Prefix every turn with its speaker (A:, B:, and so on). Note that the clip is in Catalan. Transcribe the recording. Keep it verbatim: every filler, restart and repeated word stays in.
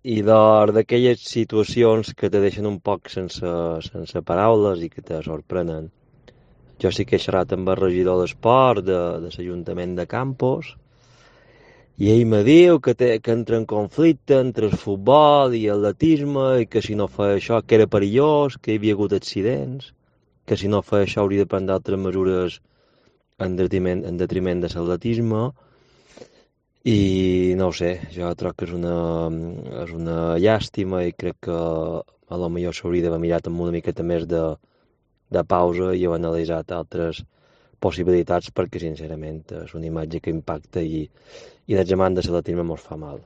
A: i de- d'aquelles situacions que te deixen un poc sense, sense paraules i que te sorprenen. Jo sí que he xerrat amb el regidor d'esport de, de l'Ajuntament de Campos i ell me diu que, té, que entra en conflicte entre el futbol i l'atletisme i que si no feia això que era perillós, que hi havia hagut accidents, que si no feia això hauria de prendre altres mesures en detriment, en detriment de l'atletisme i no ho sé, jo crec que és una, és una llàstima i crec que a lo millor s'hauria d'haver mirat amb una miqueta més de, de pausa i haver analitzat altres possibilitats perquè sincerament és una imatge que impacta i, i de gemant de l'atletisme mos fa mal.